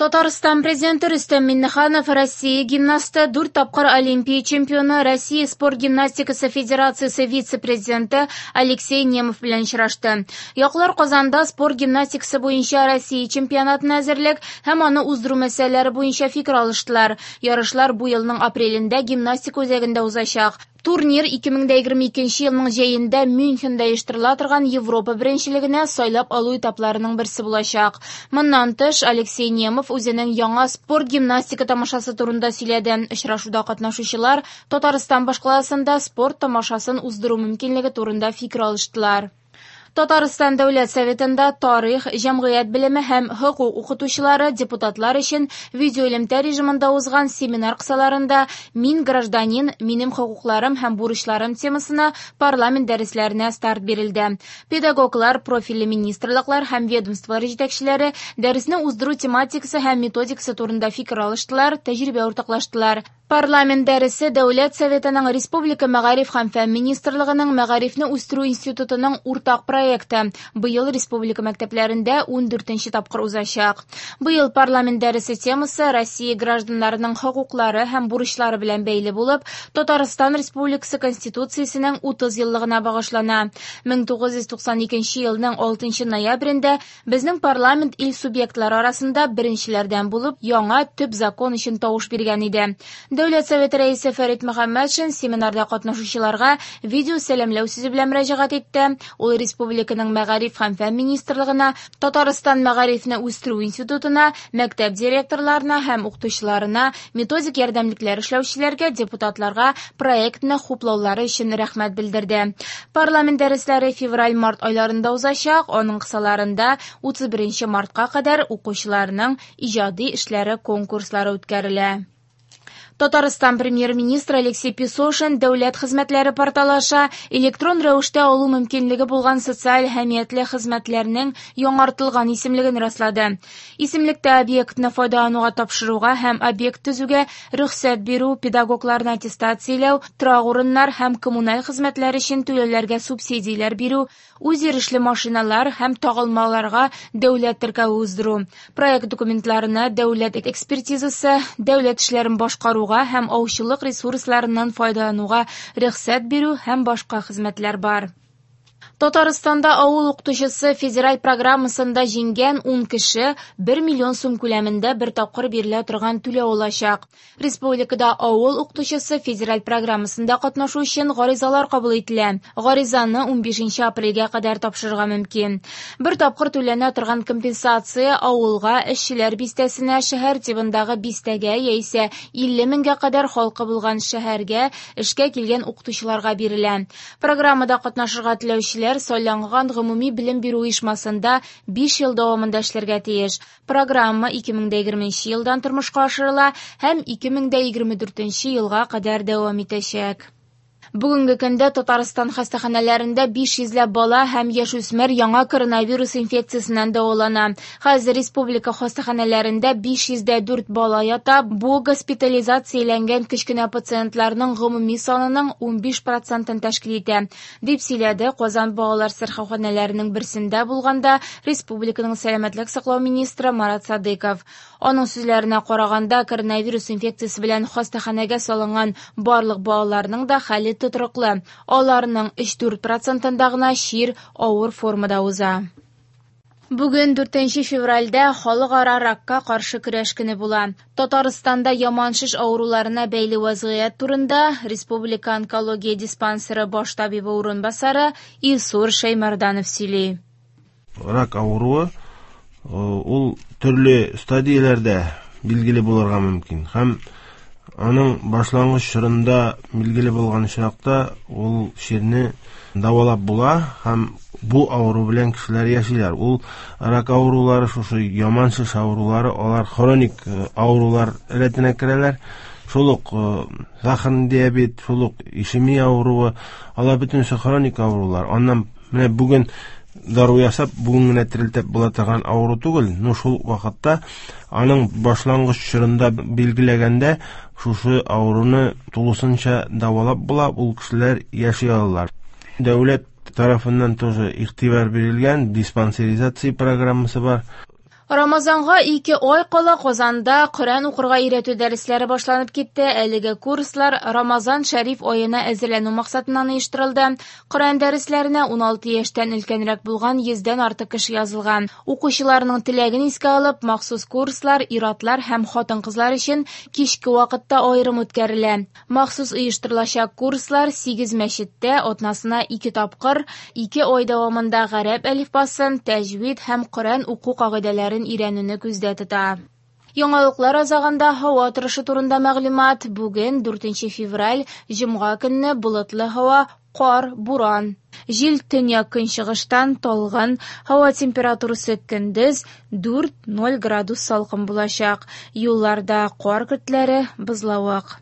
Татарстан президенты Рөстәм Миңнеханов Россия гимнасты, дүрт тапкыр Олимпия чемпионы, Россия спорт гимнастикасы федерациясе вице-президенты Алексей Немов белән очрашты. Яклар Казанда спорт гимнастикасы буенча Россия чемпионатына әзерлек һәм аны уздыру мәсьәләләре буенча фикер алыштылар. Ярышлар бу елның апрелендә гимнастика үзәгендә узачак. Турнир 2022 елның җәендә Мюнхенда оештырыла торган Европа беренчелегенә сайлап алу этапларының берсе булачак. Моннан тыш, Алексей Немов үзенең яңа спорт гимнастика тамашасы турында сөйләде. Очрашуда катнашучылар Татарстан башкаласында спорт тамашасын уздыру мөмкинлеге турында фикер алыштылар. Татарстан Дәүләт Советында тарих, җәмгыять белеме һәм хокук укытучылары депутатлар өчен видеоэлемтә режимында узган семинар кысаларында «Мин гражданин, минем хокукларым һәм бурычларым» темасына парламент дәресләренә старт бирелде. Педагоглар, профильле министрлыклар һәм ведомстволар җитәкчеләре дәресне уздыру тематикасы һәм методикасы турында фикер алыштылар, тәҗрибә уртаклаштылар. Парламент дәресе Дәүләт Советының Республика мәгариф һәм фән министрлыгының Мәгарифне үстерү институтының уртак проекты быел республика мәктәпләрендә 14 тапкыр узачак. Быел парламент дәресе темасы Россия гражданнарының хокуклары һәм бурычлары белән бәйле булып, Татарстан Республикасы Конституциясенең 30 еллыгына багышлана. 1992 елның 6 ноябрендә Безнең парламент ил субъектлары арасында беренчеләрдән булып яңа төп закон өчен тавыш биргән иде. Дәүләт Советы рәисе Фәрит Мөхәммәтшин семинарда катнашучыларга видео сәламләү сүзе белән мөрәҗәгать итте. Ул республиканың мәгариф һәм фән министрлыгына, Татарстан мәгарифне үстерү институтына, мәктәп директорларына һәм укытучыларына, методик ярдәмлекләр эшләүчеләргә, депутатларга проектны хуплаулары өчен рәхмәт белдерде. Парламент дәресләре февраль-март айларында узачак, аның кысаларында 31 мартка кадәр укучыларның иҗади эшләре конкурслары үткәрелә. Татарстан премьер-министры Алексей Песошин дәүләт хезмәтләре порталы аша электрон рәвештә алу мөмкинлеге булган социаль әһәмиятле хезмәтләрнең яңартылган исемлеген раслады. Исемлектә объектны файдалануга тапшыруга һәм объект төзүгә рөхсәт бирү, педагогларны аттестацияләү, торак урыннар һәм коммуналь хезмәтләр өчен түләүләргә субсидияләр бирү, үзйөрешле машиналар һәм тагылмаларга дәүләт теркәве уздыру, проект документларына дәүләт экспертизасы, дәүләт эшләрен башкаруга һәм аучылык ресурсларыннан файдалануга рөхсәт бирү һәм башка хезмәтләр бар. Татарстанда авыл укытучысы федераль программасында җиңгән 10 кеше 1 миллион сум күләмендә бер тапкыр бирелә торган түләү алачак. Республикада авыл укытучысы федераль программасында катнашу өчен гаризалар кабул ителә. Гаризаны 15 апрельгә кадәр тапшырырга мөмкин. Бер тапкыр түләнә торган компенсация авылга, эшчеләр бистәсенә, шәһәр тибындагы бистәгә яисә 50 меңгә кадәр халкы булган шәһәргә эшкә килгән укытучыларга бирелә. Программада катнашырга теләүчеләр сайланган гомуми белем бирү оешмасында 5 ел дәвамында эшләргә тиеш. Программа 2020 елдан тормышка ашырыла һәм 2024 елга кадәр дәвам итәчәк. Бүгенге көндә Татарстан хастаханәләрендә 500 ләп бала һәм яшүсмер яңа коронавирус инфекциясеннән дәвалана. Хәзер республика хастаханәләрендә 504 бала ята. Бу госпитализацияләнгән кечкенә пациентларның гомуми санының 15 процентын тәшкил итә, дип сөйләде Казан балалар сырхауханәләренең берсендә булганда республиканың сәламәтлек саклау министры Марат Садыков. Аның сүзләренә караганда, коронавирус инфекциясе белән хастаханәгә салынган барлык балаларның да хәле тотрыклы. Аларның 3-4 процентында гына чир авыр формада уза. Бүген 4 февральдә халыкара ракка каршы көрәш көне була. Татарстанда яман шеш авыруларына бәйле вазгыять турында Республика онкология диспансеры баш табибы урынбасары Илсур Шәймәрданов сөйли. Рак авыруы ул төрле стадияләрдә билгеле булырга мөмкин һәм аның башлангыч чорында билгеле булган очракта ул чирне дәвалап була һәм бу авыру белән кешеләр яшиләр. Ул рак авырулары, шушы яман шеш авырулары, алар хроник авырулар рәтенә керәләр. Шул ук сахарный диабет, шул ук ишемия авыруы, алар бөтенесе хроник авырулар. Аннан менә бүген дару ясап, бүген генә терелтеп була торган авыру түгел. Но шул вакытта аның башлангыч чорында билгеләгәндә шушы авыруны тулысынча дәвалап була, ул кешеләр яши алалар. Дәүләт тарафыннан тоже игътибар бирелгән, диспансеризация программасы бар. Рамазанга 2 ай кала Казанда Коръән укырга өйрәтү дәресләре башланып китте. Әлеге курслар Рамазан шәриф аена әзерләнү максатыннан оештырылды. Коръән дәресләренә 16 яшьтән өлкәнрәк булган 100дән артык кеше язылган. Укучыларның теләген искә алып, махсус курслар ир-атлар һәм хатын-кызлар өчен кичке вакытта аерым үткәрелә. Махсус оештырылачак курслар 8 мәчеттә атнасына 2 тапкыр, 2 ай дәвамында гарәп әлифбасын, тәҗвид һәм Коръән уку кагыйдәләрен өйрәнүне күздә тота. Яңалыклар азагында һава торышы турында мәгълүмат. Бүген 4 февраль, җомга көнне болытлы һава, кар, буран. Җил төньяк көнчыгыштан талгын, һава температурасы көндез 4-0 градус салкын булачак. Юлларда кар көртләре, бозлавык.